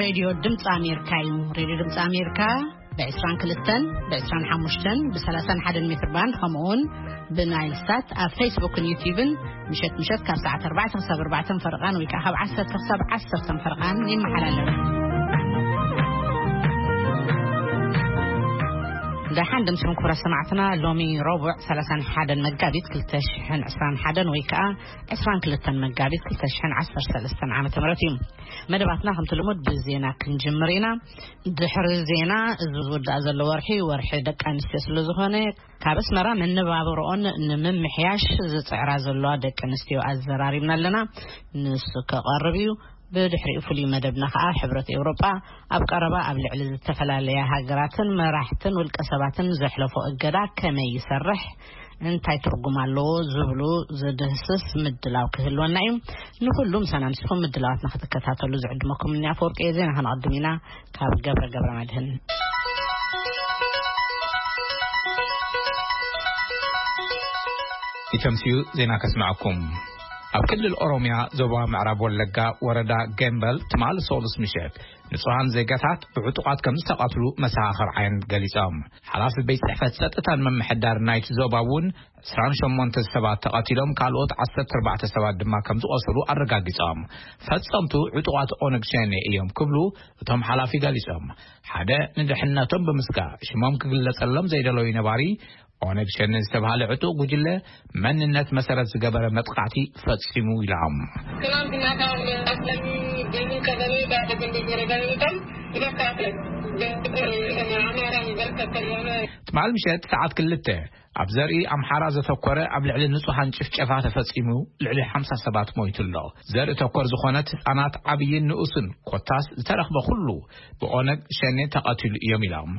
ሬድዮ ድምፂ ኣሜሪካ እዩ። ሬድዮ ድምፂ ኣሜሪካ ብ22፣ ብ25፣ ብ31 ሜትር ባንድ፣ ከምኡውን ብናይል ሳት ኣብ ፌስቡክን ዩቲዩብን ምሸት ምሸት ካብ ሰዓት ኣርባዕተ ክሳብ ኣርባዕተ ፈረቓን ወይ ከዓ ካብ ዓሰርተ ክሳብ ዓሰርተ ፈረቓን ይመሓላለፍ። ደሓን ደምስኩም ክቡራት ሰማዕትና፣ ሎሚ ረቡዕ ሰላሳን ሓደን መጋቢት ክልተ ሽሕን ዕስራን ሓደን ወይ ከዓ ዕስራን ክልተን መጋቢት ክልተ ሽሕን ዓሰርተ ሰለስተን ዓመተ ምህረት እዩ። መደባትና ከምቲ ልሙድ ብዜና ክንጅምር ኢና። ድሕሪ ዜና፣ እዚ ዝውዳእ ዘሎ ወርሒ፣ ወርሒ ደቂ ኣንስትዮ ስለ ዝኾነ፣ ካብ ኣስመራ መነባብሮኦን ንምምሕያሽ ዝጽዕራ ዘለዋ ደቂ ኣንስትዮ ኣዘራሪብና ኣለና። ንሱ ከቐርብ እዩ። ብድሕሪኡ ፍሉይ መደብና ከኣ ሕብረት ኤውሮጳ ኣብ ቀረባ ኣብ ልዕሊ ዝተፈላለያ ሃገራትን መራሕትን ውልቀ ሰባትን ዘሕለፎ እገዳ ከመይ ይሰርሕ፣ እንታይ ትርጉም ኣለዎ ዝብሉ ዝድህስስ ምድላው ክህልወና እዩ። ንኹሉ ምሳና ምስኹም ምድላዋትና ክትከታተሉ ዝዕድመኩም እኒ ኣፈወርቂ እየ። ዜና ከነቐድም ኢና ካብ ገብረ ገብረ መድህን። ኢተምስዩ ዜና ከስምዐኩም። ኣብ ክልል ኦሮምያ ዞባ ምዕራብ ወለጋ ወረዳ ገምበል ትማል ሶሉስ ምሸት ንጹሃን ዜጋታት ብዕጡቓት ከም ዝተቐትሉ መሰኻኽር ዓይን ገሊጾም። ሓላፊ ቤት ጽሕፈት ጸጥታን ምምሕዳር ናይቲ ዞባ እውን ዕስራን ሸሞንተ ሰባት ተቐቲሎም፣ ካልኦት ዓሰርተ ኣርባዕተ ሰባት ድማ ከም ዝቖሰሉ ኣረጋጊጾም። ፈጸምቱ ዕጡቓት ኦነግ ሸኔ እዮም ክብሉ እቶም ሓላፊ ገሊጾም። ሓደ ንድሕነቶም ብምስጋእ ሽሞም ክግለጸሎም ዘይደለዩ ነባሪ፣ ኦነግ ሸኔ ዝተባህለ ዕጡቕ ጉጅለ መንነት መሰረት ዝገበረ መጥቃዕቲ ፈጺሙ ኢሎም። ትናንትና ከአስለሚ ገሚ ቀበሌ በአደገንዴ ወረዳ የሚባል ሁለት ሰዓት ላይ በአማራ በርከት ያለ ትማል ምሸት ሰዓት ክልተ ኣብ ዘርኢ ኣምሓራ ዘተኮረ ኣብ ልዕሊ ንጹሃን ጭፍጨፋ ተፈጺሙ፣ ልዕሊ ሓምሳ ሰባት ሞይቱ ኣሎ። ዘርኢ ተኮር ዝኾነት ህጻናት፣ ዓብይን ንኡስን ኮታስ ዝተረኽበ ኩሉ ብኦነግ ሸኔ ተቐቲሉ እዮም ኢሎም።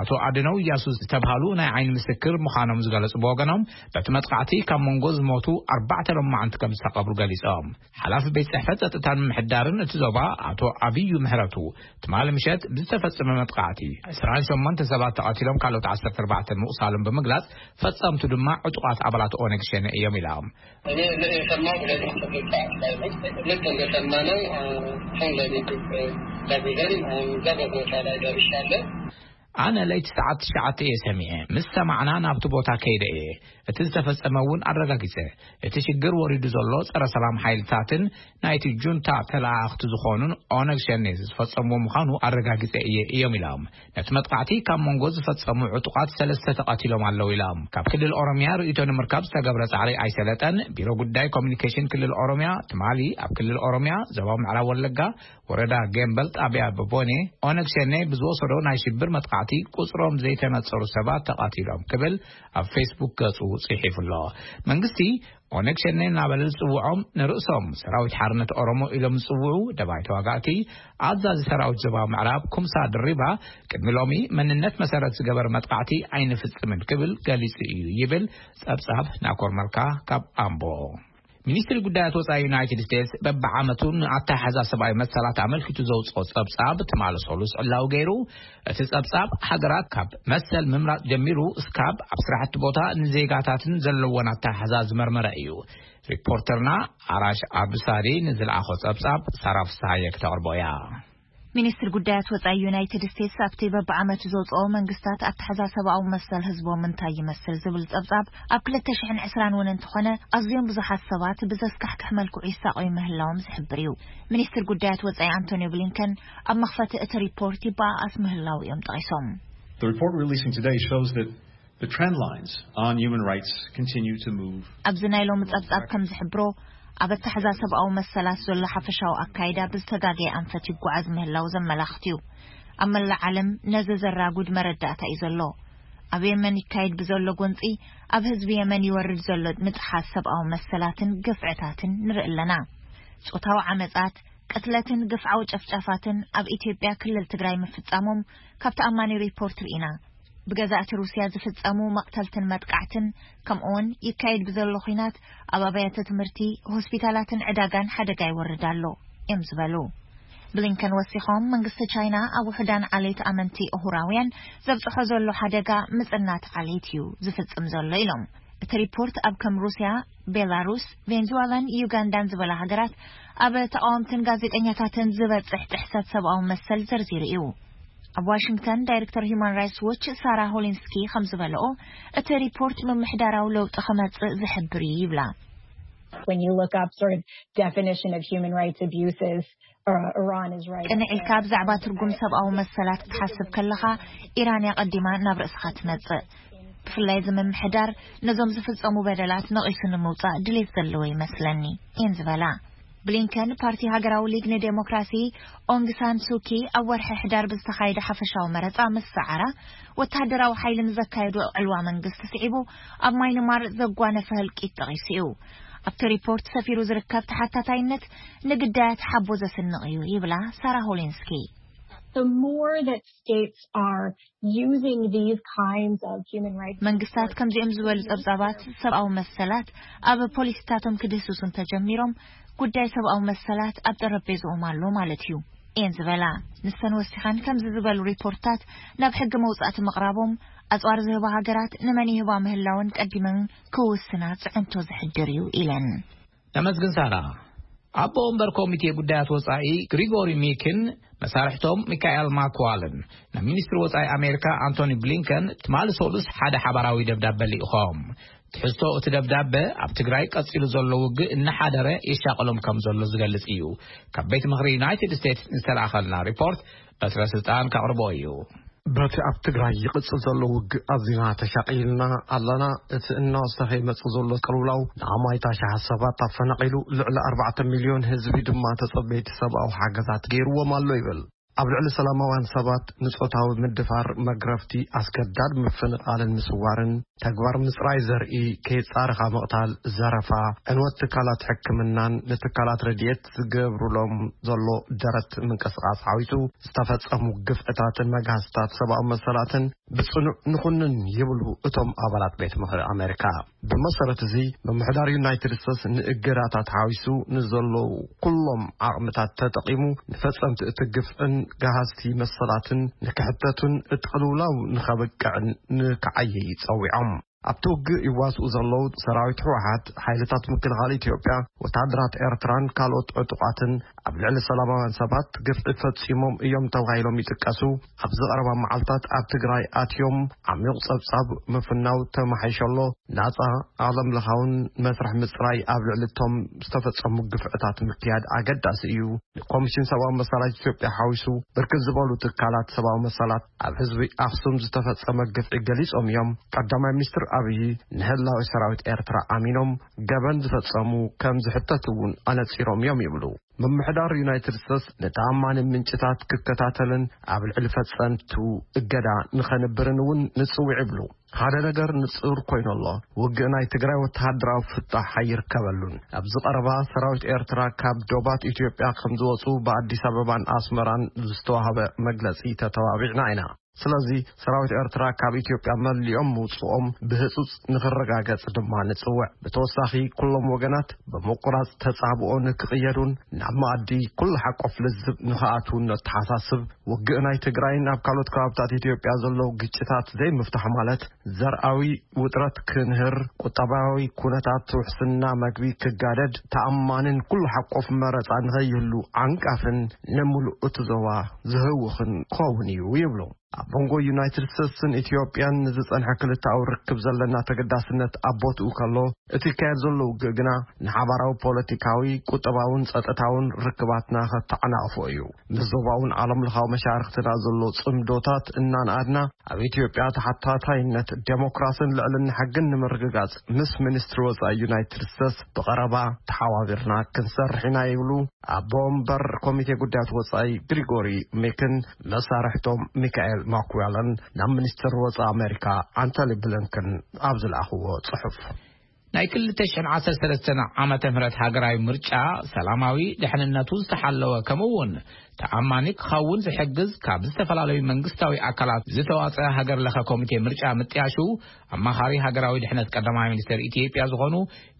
ኣቶ ኣድነው እያሱ ዝተብሃሉ ናይ ዓይኒ ምስክር ምዃኖም ዝገለጹ ብወገኖም፣ በቲ መጥቃዕቲ ካብ መንጎ ዝሞቱ ኣርባዕተ ሎማዓንቲ ከም ዝተቐብሩ ገሊጾም። ሓላፊ ቤት ጽሕፈት ጸጥታን ምምሕዳርን እቲ ዞባ ኣቶ ኣብዩ ምህረቱ፣ ትማሊ ምሸት ብዝተፈጸመ መጥቃዕቲ ዕስራን ሸሞንተ ሰባት ተቐቲሎም፣ ካልኦት ዓሰርተ ኣርባዕተ ምቑሳሎም ብምግላጽ፣ ፈጸምቱ ድማ ዕጡቓት ኣባላት ኦነግ ሸኔ እዮም ኢሎም። እኔ የሰማሁት ሌሊት ስምንት ሰዓት ላይ ነው። ልክ እንደሰማነው፣ እ፣ አሁን ሌሊት፣ እ፣ ደውለን፣ አሁን እዛ በቦታ ላይ ደርሻለሁ። ኣነ ለይቲ ሰዓት ትሽዓተ እየ ሰሚዐ። ምስ ሰማዕና ናብቲ ቦታ ከይደ እየ። እቲ ዝተፈጸመ እውን ኣረጋጊጸ። እቲ ሽግር ወሪዱ ዘሎ ጸረ ሰላም ሓይልታትን ናይቲ ጁንታ ተለኣኣኽቲ ዝኾኑን ኦነግ ሸኔ ዝፈጸምዎ ምዃኑ ኣረጋጊጸ እየ እዮም ኢሎም። ነቲ መጥቃዕቲ ካብ መንጎ ዝፈጸሙ ዕጡቓት ሰለስተ ተቐቲሎም ኣለዉ ኢሎም። ካብ ክልል ኦሮምያ ርእይቶ ንምርካብ ዝተገብረ ጻዕሪ ኣይሰለጠን። ቢሮ ጉዳይ ኮሚኒኬሽን ክልል ኦሮምያ ትማሊ ኣብ ክልል ኦሮምያ ዞባ ምዕራብ ወለጋ ወረዳ ገምበል ጣብያ በቦኔ ኦነግ ሸኔ ብዝወሰዶ ናይ ሽብር መጥቃዕቲ ቁጽሮም ዘይተነጸሩ ሰባት ተቐቲሎም ክብል ኣብ ፌስቡክ ገጹ ጽሒፉ ኣሎ። መንግስቲ ኦነግ ሸኔ እናበለ ዝጽውዖም ንርእሶም ሰራዊት ሓርነት ኦሮሞ ኢሎም ዝጽውዑ ደባይ ተዋጋእቲ ኣዛዚ ሰራዊት ዞባ ምዕራብ ኩምሳ ድሪባ ቅድሚ ሎሚ መንነት መሰረት ዝገበረ መጥቃዕቲ ኣይንፍጽምን ክብል ገሊጹ እዩ ይብል ጸብጻብ ናኮር መልካ ካብ ኣምቦ። ሚኒስትሪ ጉዳያት ወጻኢ ዩናይትድ ስቴትስ በብዓመቱ ንኣተሓሕዛ ሰብኣዊ መሰላት ኣመልኪቱ ዘውጽኦ ጸብጻብ ትማሊ ሰሉስ ዕላዊ ገይሩ። እቲ ጸብጻብ ሃገራት ካብ መሰል ምምራጽ ጀሚሩ እስካብ ኣብ ስራሕቲ ቦታ ንዜጋታትን ዘለዎን ኣተሓሕዛ ዝመርመረ እዩ። ሪፖርተርና ኣራሽ ኣብዱሳሪ ንዝለኣኾ ጸብጻብ ሳራ ፍስሃየ ክተቕርቦ እያ። ሚኒስትሪ ጉዳያት ወጻኢ ዩናይትድ ስቴትስ ኣብቲ በብዓመቱ ዘውጽኦ መንግስታት ኣተሓሕዛ ሰብኣዊ መሰል ህዝቦም እንታይ ይመስል ዝብል ጸብጻብ ኣብ ክልተ ሽሕን ዕስራን እውን እንተኾነ ኣዝዮም ብዙሓት ሰባት ብዘስካሕክሕ መልክዑ ይሳቐዩ ምህላዎም ዝሕብር እዩ። ሚኒስትሪ ጉዳያት ወጻኢ ኣንቶኒዮ ብሊንከን ኣብ መኽፈቲ እቲ ሪፖርት ይበኣኣስ ምህላው እዮም ጠቒሶም። The report releasing today shows that the trend lines on human rights continue to move. ኣብዚ ናይ ሎሚ ጸብጻብ ከም ዝሕብሮ፣ ኣብ ኣተሓሕዛ ሰብኣዊ መሰላት ዘሎ ሓፈሻዊ ኣካይዳ ብዝተጋገየ ኣንፈት ይጓዓዝ ምህላው ዘመላኽት እዩ። ኣብ መላእ ዓለም ነዚ ዘራጉድ መረዳእታ እዩ ዘሎ። ኣብ የመን ይካየድ ብዘሎ ጎንጺ፣ ኣብ ህዝቢ የመን ይወርድ ዘሎ ምጥሓስ ሰብኣዊ መሰላትን ግፍዕታትን ንርኢ ኣለና። ጾታዊ ዓመጻት፣ ቅትለትን ግፍዓዊ ጨፍጫፋትን ኣብ ኢትዮጵያ ክልል ትግራይ ምፍጻሞም ካብ ተኣማኒ ሪፖርት ርኢና። ብገዛእቲ ሩስያ ዝፍጸሙ መቕተልትን መጥቃዕትን፣ ከምኡውን ይካየድ ብዘሎ ኹናት ኣብ ኣብያተ ትምህርቲ፣ ሆስፒታላትን ዕዳጋን ሓደጋ ይወርድ ኣሎ እዮም ዝበሉ። ብሊንከን ወሲኾም፣ መንግስቲ ቻይና ኣብ ውሑዳን ዓሌት ኣመንቲ እሁራውያን ዘብጽሖ ዘሎ ሓደጋ ምጽናት ዓሌት እዩ ዝፍጽም ዘሎ ኢሎም። እቲ ሪፖርት ኣብ ከም ሩስያ፣ ቤላሩስ፣ ቬንዙዋላን ዩጋንዳን ዝበላ ሃገራት ኣብ ተቓወምትን ጋዜጠኛታትን ዝበጽሕ ጥሕሰት ሰብኣዊ መሰል ዘርዚሩ እዩ። ኣብ ዋሽንግተን ዳይሬክተር ሂዩማን ራይትስ ዎች ሳራ ሆሊንስኪ ከም ዝበለኦ፣ እቲ ሪፖርት ምምሕዳራዊ ለውጢ ክመጽእ ዝሕብር እዩ ይብላ። When you look up sort of definition of human rights abuses, uh, Iran is right. ቅንዕ ኢልካ ብዛዕባ ትርጉም ሰብኣዊ መሰላት ክትሓስብ ከለኻ፣ ኢራን እያ ቀዲማ ናብ ርእስኻ ትመጽእ። ብፍላይ እዚ ምምሕዳር ነዞም ዝፍጸሙ በደላት ነቒሱ ንምውጻእ ድሌት ዘለዎ ይመስለኒ፣ እየን ዝበላ። ብሊንከን ፓርቲ ሃገራዊ ሊግ ንዴሞክራሲ፣ ኦንግ ሳን ሱኪ፣ ኣብ ወርሒ ሕዳር ብዝተኻየደ ሓፈሻዊ መረጻ ምስ ሰዓራ፣ ወተሃደራዊ ሓይሊ ንዘካየዶ ዕልዋ መንግስቲ ስዒቡ ኣብ ማይንማር ዘጓነፈ ህልቂት ጠቒሱ እዩ። ኣብቲ ሪፖርት ሰፊሩ ዝርከብ ተሓታታይነት ንግዳያት ሓቦ ዘስንቕ እዩ ይብላ ሳራ ሆሊንስኪ። The more that states are using these kinds of human rights መንግስታት ከምዚኦም ዝበሉ ጸብጻባት ሰብኣዊ መሰላት ኣብ ፖሊሲታቶም ክድህስሱ እንተጀሚሮም፣ ጉዳይ ሰብኣዊ መሰላት ኣብ ጠረጴዝኦም ኣሎ ማለት እዩ፣ እየን ዝበላ። ንሰን ወሲኸን፣ ከምዚ ዝበሉ ሪፖርትታት ናብ ሕጊ መውጻእቲ ምቕራቦም፣ ኣጽዋር ዝህባ ሃገራት ንመን ይህባ ምህላውን ቀዲመን ክውስና ጽዕንቶ ዘሕድር እዩ ኢለን። ነመስግን ሳራ። ኣቦ ወንበር ኮሚቴ ጉዳያት ወጻኢ ግሪጎሪ ሚክን መሳርሕቶም ሚካኤል ማክዋልን ናብ ሚኒስትሪ ወጻኢ ኣሜሪካ ኣንቶኒ ብሊንከን ትማሊ ሰሉስ ሓደ ሓባራዊ ደብዳበ ልኢኾም። ትሕዝቶ እቲ ደብዳበ ኣብ ትግራይ ቀጺሉ ዘሎ ውግእ እናሓደረ የሻቕሎም ከም ዘሎ ዝገልጽ እዩ። ካብ ቤት ምኽሪ ዩናይትድ ስቴትስ ዝተላእኸልና ሪፖርት በትረ ስልጣን ከቕርቦ እዩ። በቲ ኣብ ትግራይ ይቕጽል ዘሎ ውግእ ኣዚና ተሻቒልና ኣለና። እቲ እናወሰኸ ይመጽእ ዘሎ ቅልውላው ንኣማይታ ሸሓት ሰባት ኣፈናቒሉ፣ ልዕሊ ኣርባዕተ ሚልዮን ህዝቢ ድማ ተጸበይቲ ሰብኣዊ ሓገዛት ገይርዎም ኣሎ ይብል። ኣብ ልዕሊ ሰላማውያን ሰባት ንጾታዊ ምድፋር፣ መግረፍቲ፣ ኣስገዳድ ምፍንቓልን ምስዋርን፣ ተግባር ምጽራይ ዘርኢ፣ ከይጻረኻ ምቕታል፣ ዘረፋ፣ ዕንወት ትካላት ሕክምናን ንትካላት ረድኤት ዝገብሩሎም ዘሎ ደረት ምንቅስቓስ ሓዊሱ ዝተፈጸሙ ግፍዕታትን መግሃስታት ሰብኣዊ መሰላትን ብጽኑዕ ንኹንን ይብሉ እቶም ኣባላት ቤት ምኽሪ ኣሜሪካ። ብመሰረት እዚ፣ ምምሕዳር ዩናይትድ ስቴትስ ንእገዳታት ሓዊሱ ንዘለዉ ኩሎም ዓቕምታት ተጠቒሙ ንፈጸምቲ እቲ ግፍዕን ገሃስቲ መሰላትን ንክሕተቱን እቲ ቅልውላው ንኸብቅዕን ንክዓይይ ጸዊዖም። ኣብቲ ውግእ ይዋስኡ ዘለዉ ሰራዊት ህወሓት፣ ሓይልታት ምክልኻል ኢትዮጵያ፣ ወተሃደራት ኤርትራን ካልኦት ዕጡቓትን ኣብ ልዕሊ ሰላማውያን ሰባት ግፍዒ ፈጺሞም እዮም ተባሂሎም ይጥቀሱ። ኣብዚ ቀረባ መዓልታት ኣብ ትግራይ ኣትዮም ዓሚቕ ጸብጻብ ምፍናው ተማሓይሸሎ፣ ናጻ ዓለምለኻውን መስርሕ ምጽራይ ኣብ ልዕሊ እቶም ዝተፈጸሙ ግፍዕታት ምክያድ ኣገዳሲ እዩ። ንኮሚሽን ሰብኣዊ መሰላት ኢትዮጵያ ሓዊሱ ብርክት ዝበሉ ትካላት ሰብኣዊ መሰላት ኣብ ህዝቢ ኣኽሱም ዝተፈጸመ ግፍዒ ገሊጾም እዮም። ቀዳማይ ሚኒስትር ኣብዪ ንህላዊ ሰራዊት ኤርትራ ኣሚኖም ገበን ዝፈጸሙ ከም ዝሕተቱ እውን ኣነጺሮም እዮም ይብሉ። ምምሕዳር ዩናይትድ ስቴትስ ንተኣማኒ ምንጭታት ክከታተልን ኣብ ልዕሊ ፈጸምቱ እገዳ ንኸንብርን እውን ንጽውዕ ይብሉ። ሓደ ነገር ንጹር ኮይኑ ኣሎ። ውግእ ናይ ትግራይ ወተሃደራዊ ፍታሕ ኣይርከበሉን። ኣብዚ ቀረባ ሰራዊት ኤርትራ ካብ ዶባት ኢትዮጵያ ከም ዝወጹ ብኣዲስ ኣበባን ኣስመራን ዝተዋህበ መግለጺ ተተባቢዕና ኢና። ስለዚ ሰራዊት ኤርትራ ካብ ኢትዮጵያ መሊኦም ምውጽኦም ብህጹጽ ንኽረጋገጽ ድማ ንጽውዕ። ብተወሳኺ ኩሎም ወገናት ብምቁራጽ ተጻብኦ ንክቕየዱን ናብ መኣዲ ኩሉ ሓቆፍ ልዝብ ንኽኣትዉን ነተሓሳስብ። ውግእ ናይ ትግራይን ኣብ ካልኦት ከባብታት ኢትዮጵያ ዘለዉ ግጭታት ዘይምፍታሕ ማለት ዘርኣዊ ውጥረት ክንህር፣ ቁጠባዊ ኩነታት ውሕስና መግቢ ክጋደድ፣ ተኣማንን ኩሉ ሓቆፍ መረጻ ንኸይህሉ ዓንቃፍን ንምሉእ እቲ ዞባ ዝህውኽን ክኸውን እዩ ይብሉ። ኣብ መንጎ ዩናይትድ ስቴትስን ኢትዮጵያን ንዝጸንሐ ክልተኣዊ ርክብ ዘለና ተገዳስነት ኣብ ቦትኡ ከሎ፣ እቲ ይካየድ ዘሎ ውግእ ግና ንሓባራዊ ፖለቲካዊ፣ ቁጠባውን ጸጥታውን ርክባትና ከተዓናቕፎ እዩ። ምስ ዞባውን ዓለምለኻዊ መሻርኽትና ዘሎ ጽምዶታት እናንኣድና፣ ኣብ ኢትዮጵያ ተሓታታይነት፣ ዴሞክራስን ልዕልና ሕግን ንምርግጋጽ ምስ ሚኒስትሪ ወጻኢ ዩናይትድ ስቴትስ ብቐረባ ተሓባቢርና ክንሰርሕ ኢና ይብሉ ኣቦ ወንበር ኮሚቴ ጉዳያት ወጻኢ ግሪጎሪ ሜክን መሳርሕቶም ሚካኤል ማኩዌለን ናብ ሚኒስትሪ ወጻኢ ኣሜሪካ ኣንቶኒ ብሊንከን ኣብ ዝለኣኽዎ ጽሑፍ። ናይ ክልተ ሽሕን ዓሰርተ ሰለስተን ዓመተ ምህረት ሃገራዊ ምርጫ ሰላማዊ፣ ድሕንነቱ ዝተሓለወ፣ ከምኡ እውን ተኣማኒ ክኸውን ዝሕግዝ ካብ ዝተፈላለዩ መንግስታዊ ኣካላት ዝተዋፀአ ሃገር ለኸ ኮሚቴ ምርጫ ምጥያሹ ኣማኻሪ ሃገራዊ ድሕነት ቀዳማይ ሚኒስትር ኢትዮጵያ ዝኾኑ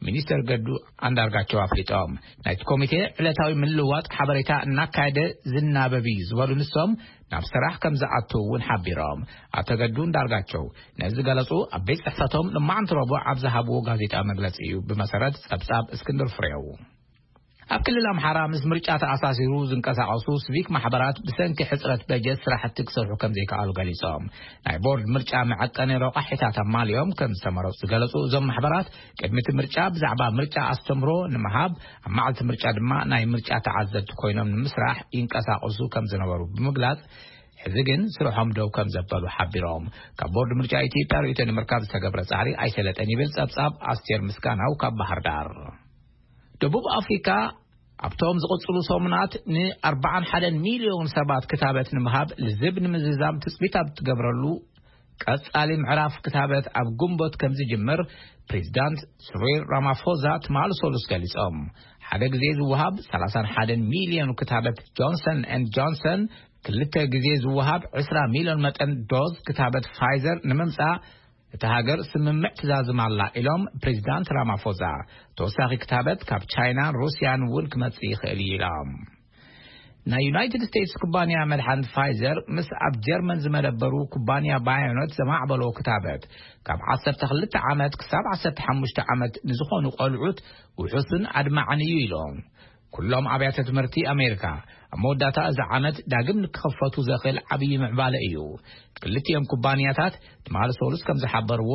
ሚኒስትር ገዱ ኣንዳርጋቸው ኣፍሊጦም። ናይቲ ኮሚቴ ዕለታዊ ምልውዋጥ ሓበሬታ እናካየደ ዝናበብ እዩ ዝበሉ ንሶም፣ ናብ ስራሕ ከም ዝኣትው እውን ሓቢሮም። ኣቶ ገዱ እንዳርጋቸው ነዚ ገለጹ ኣብ ቤት ጽሕፈቶም ንማዓንቲ ረቡዕ ኣብ ዝሃብዎ ጋዜጣ መግለጺ እዩ። ብመሰረት ጸብጻብ እስክንድር ፍሬው፣ ኣብ ክልል ኣምሓራ ምስ ምርጫ ተኣሳሲሩ ዝንቀሳቐሱ ሲቪክ ማሕበራት ብሰንኪ ሕጽረት በጀት ስራሕቲ ክሰርሑ ከም ዘይከኣሉ ገሊጾም። ናይ ቦርድ ምርጫ መዐቀኒ ረቋሒታት ኣማሊኦም ከም ዝተመረጹ ዝገለጹ እዞም ማሕበራት፣ ቅድሚ እቲ ምርጫ ብዛዕባ ምርጫ ኣስተምህሮ ንምሃብ፣ ኣብ መዓልቲ ምርጫ ድማ ናይ ምርጫ ተዓዘብቲ ኮይኖም ንምስራሕ ይንቀሳቐሱ ከም ዝነበሩ ብምግላጽ፣ ሕዚ ግን ስርሖም ደው ከም ዘበሉ ሓቢሮም። ካብ ቦርድ ምርጫ ኢትዮጵያ ርእይቶ ንምርካብ ዝተገብረ ጻዕሪ ኣይሰለጠን ይብል ጸብጻብ ኣስቴር ምስጋናው ካብ ባህር ዳር። ደቡብ ኣፍሪካ ኣብቶም ዝቕጽሉ ሰሙናት ን41 ሚልዮን ሰባት ክታበት ንምሃብ ልዝብ ንምዝዛም ትጽቢት ኣብ ትገብረሉ ቀጻሊ ምዕራፍ ክታበት ኣብ ግንቦት ከም ዝጅምር ፕሬዚዳንት ስሪል ራማፎዛ ትማሊ ሰሉስ ገሊጾም። ሓደ ግዜ ዝወሃብ 31 ሚልዮን ክታበት ጆንሰን ኤንድ ጆንሰን፣ ክልተ ግዜ ዝወሃብ 20 ሚልዮን መጠን ዶዝ ክታበት ፋይዘር ንምምጻእ እታ ሃገር ስምምዕ ትዛዝም ኣላ ኢሎም ፕሬዚዳንት ራማፎዛ። ተወሳኺ ክታበት ካብ ቻይናን ሩስያን እውን ክመጽእ ይኽእል እዩ ኢሎም። ናይ ዩናይትድ ስቴትስ ኩባንያ መድሓኒት ፋይዘር ምስ ኣብ ጀርመን ዝመደበሩ ኩባንያ ባዮኖት ዘማዕበሎ ክታበት ካብ 12 ዓመት ክሳብ 15 ዓመት ንዝኾኑ ቆልዑት ውሑስን ኣድማዕን እዩ ኢሎም። ኩሎም ኣብያተ ትምህርቲ ኣሜሪካ ኣብ መወዳእታ እዚ ዓመት ዳግም ንክኸፈቱ ዘኽእል ዓብዪ ምዕባለ እዩ። ክልቲኦም ኩባንያታት ትማሊ ሰሉስ ከም ዝሓበርዎ፣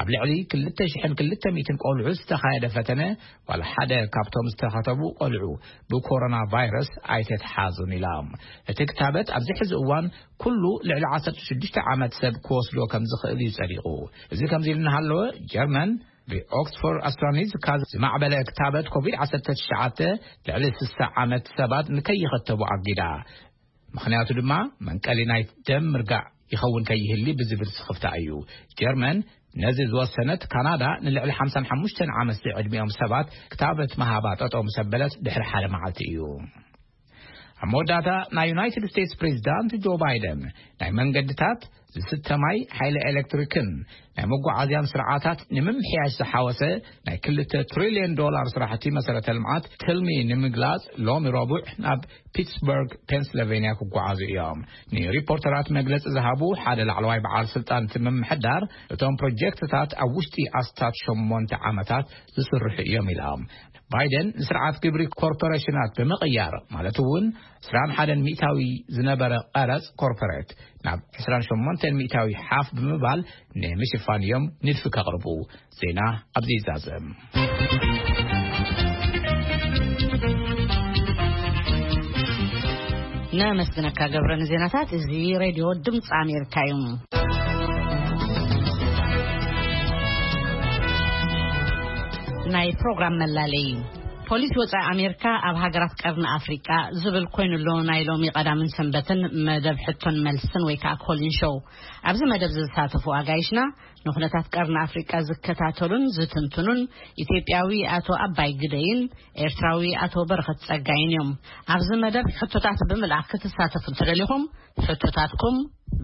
ኣብ ልዕሊ 2,200 ቆልዑ ዝተኻየደ ፈተነ፣ ዋላ ሓደ ካብቶም ዝተኸተቡ ቆልዑ ብኮሮና ቫይረስ ኣይተትሓዙን ኢሎም። እቲ ክታበት ኣብዚ ሕዚ እዋን ኩሉ ልዕሊ 16 ዓመት ሰብ ክወስዶ ከም ዝኽእል እዩ ጸዲቑ። እዚ ከምዚ ኢሉ እናሃለወ፣ ጀርመን ብኦክስፎርድ ኣስትራኒዝካ ዝማዕበለ ክታበት ኮቪድ-19 ልዕሊ 60 ዓመት ሰባት ንከይኸተቡ ኣጊዳ። ምኽንያቱ ድማ መንቀሊ ናይ ደም ምርጋእ ይኸውን ከይህሊ ብዝብል ስኽፍታ እዩ። ጀርመን ነዚ ዝወሰነት፣ ካናዳ ንልዕሊ 55 ዓመት ዝዕድሚኦም ሰባት ክታበት መሃባ ጠጠው ምስ ኣበለት ድሕሪ ሓደ መዓልቲ እዩ። ኣብ መወዳእታ፣ ናይ ዩናይትድ ስቴትስ ፕሬዚዳንት ጆ ባይደን ናይ መንገድታት፣ ዝስተ ማይ፣ ሓይሊ ኤሌክትሪክን ናይ መጓዓዝያን ስርዓታት ንምምሕያሽ ዝሓወሰ ናይ 2 ትሪልዮን ዶላር ስራሕቲ መሰረተ ልምዓት ትልሚ ንምግላጽ ሎሚ ረቡዕ ናብ ፒትስበርግ ፔንስልቬንያ ክጓዓዙ እዮም። ንሪፖርተራት መግለጺ ዝሃቡ ሓደ ላዕለዋይ በዓል ስልጣን እቲ ምምሕዳር፣ እቶም ፕሮጀክትታት ኣብ ውሽጢ ኣስታት ሸሞንተ ዓመታት ዝስርሑ እዮም ኢሎም። ባይደን ንስርዓት ግብሪ ኮርፖሬሽናት ብምቕያር፣ ማለት እውን 21% ዝነበረ ቀረጽ ኮርፖሬት ናብ 28% ሓፍ ብምባል ንምሽፋን እዮም ንድፊ ከቕርቡ። ዜና ኣብዚ ይዛዘም። ነመስግነካ ገብረ ንዜናታት። እዚ ሬድዮ ድምፂ ኣሜሪካ እዩ። ናይ ፕሮግራም መላለይ። ፖሊሲ ወፃኢ ኣሜሪካ ኣብ ሃገራት ቀርኒ ኣፍሪቃ ዝብል ኮይኑ ኣሎ። ናይ ሎሚ ቀዳምን ሰንበትን መደብ ሕቶን መልስን ወይ ከዓ ኮሊን ሾው። ኣብዚ መደብ ዝሳተፉ ኣጋይሽና ንኩነታት ቀርኒ ኣፍሪቃ ዝከታተሉን ዝትንትኑን ኢትዮጵያዊ ኣቶ ኣባይ ግደይን ኤርትራዊ ኣቶ በረኸት ጸጋይን እዮም። ኣብዚ መደብ ሕቶታት ብምልኣኽ ክትሳተፉ እንተደሊኹም፣ ሕቶታትኩም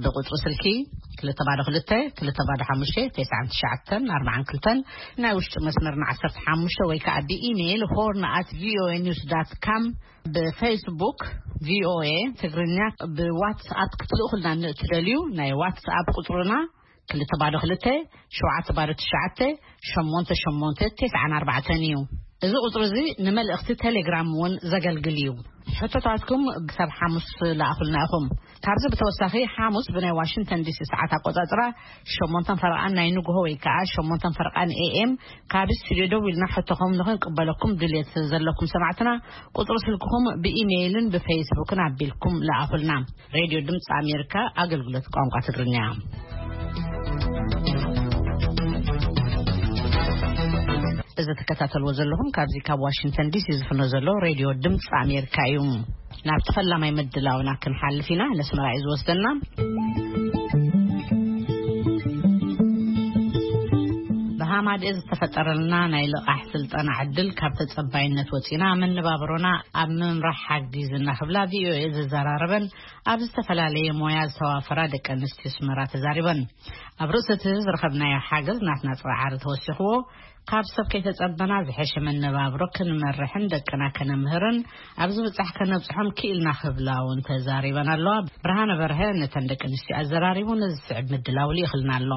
ብቁጽሪ ስልኪ ክልተ ባዶ ክልተ፣ ክልተ ባዶ ሓሙሽተ፣ ተስዓን ትሽዓተን ኣርባዓን ክልተን፣ ናይ ውሽጢ መስመርና ዓሰርተ ሓሙሽተ ወይ ከዓ ብኢሜይል ሆርን@voanews.com፣ ብፌስቡክ ቪኦኤ ትግርኛ፣ ብዋትስኣፕ ክትልእኹልና ንእትደልዩ ናይ ዋትስኣፕ ቁጽርና ክልተ ባዶ ክልተ፣ ሸውዓተ ባዶ ትሽዓተ፣ ሸሞንተ ሸሞንተ፣ ተስዓን ኣርባዕተን እዩ። እዚ ቁጽሪ እዚ ንመልእኽቲ ቴሌግራም እውን ዘገልግል እዩ። ሕቶታትኩም ክሳብ ሓሙስ ለኣኹልና ኢኹም። ካብዚ ብተወሳኺ፣ ሓሙስ ብናይ ዋሽንግተን ዲሲ ሰዓት ኣቆጻጽራ ሸሞንተን ፈረቓን ናይ ንግሆ ወይ ከዓ ሸሞንተን ፈረቓን ኤ ኤም፣ ካብ ስቱድዮ ደው ኢልና ሕቶኹም ንኽንቅበለኩም ድልየት ዘለኩም ሰማዕትና፣ ቁጽሪ ስልክኹም ብኢሜይልን ብፌስቡክን ኣቢልኩም ለኣኹልና። ሬድዮ ድምፂ ኣሜሪካ፣ ኣገልግሎት ቋንቋ ትግርኛ። እዚ ትከታተልዎ ዘለኹም ካብዚ ካብ ዋሽንግተን ዲሲ ዝፍኖ ዘሎ ሬድዮ ድምፂ ኣሜሪካ እዩ። ናብ ተፈላማይ ምድላውና ክንሓልፍ ኢና። ነስመራ እዩ ዝወስደና። ኣማድእ ዝተፈጠረልና ናይ ልቓሕ ስልጠና ዕድል ካብ ተጸባይነት ወጺና መነባብሮና ኣብ ምምራሕ ሓጊዝና ክብላ ቪኦኤ ዘዘራረበን ኣብ ዝተፈላለየ ሞያ ዝተዋፈራ ደቂ ኣንስትዮ ኣስመራ ተዛሪበን። ኣብ ርእሲ እቲ ዝረኸብናዮ ሓገዝ ናትና ጻዕሪ ተወሲኽዎ ካብ ሰብ ከይተጸበና ዝሐሸ መነባብሮ ክንመርሕን ደቅና ከነምህርን ኣብ ዝብጻሕ ከነብጽሖም ክኢልና ክብላ እውን ተዛሪበን ኣለዋ። ብርሃነ በርሀ ነተን ደቂ ኣንስትዮ ኣዘራሪቡ ነዚ ዝስዕብ ምድላው ልኢኽልና ኣሎ።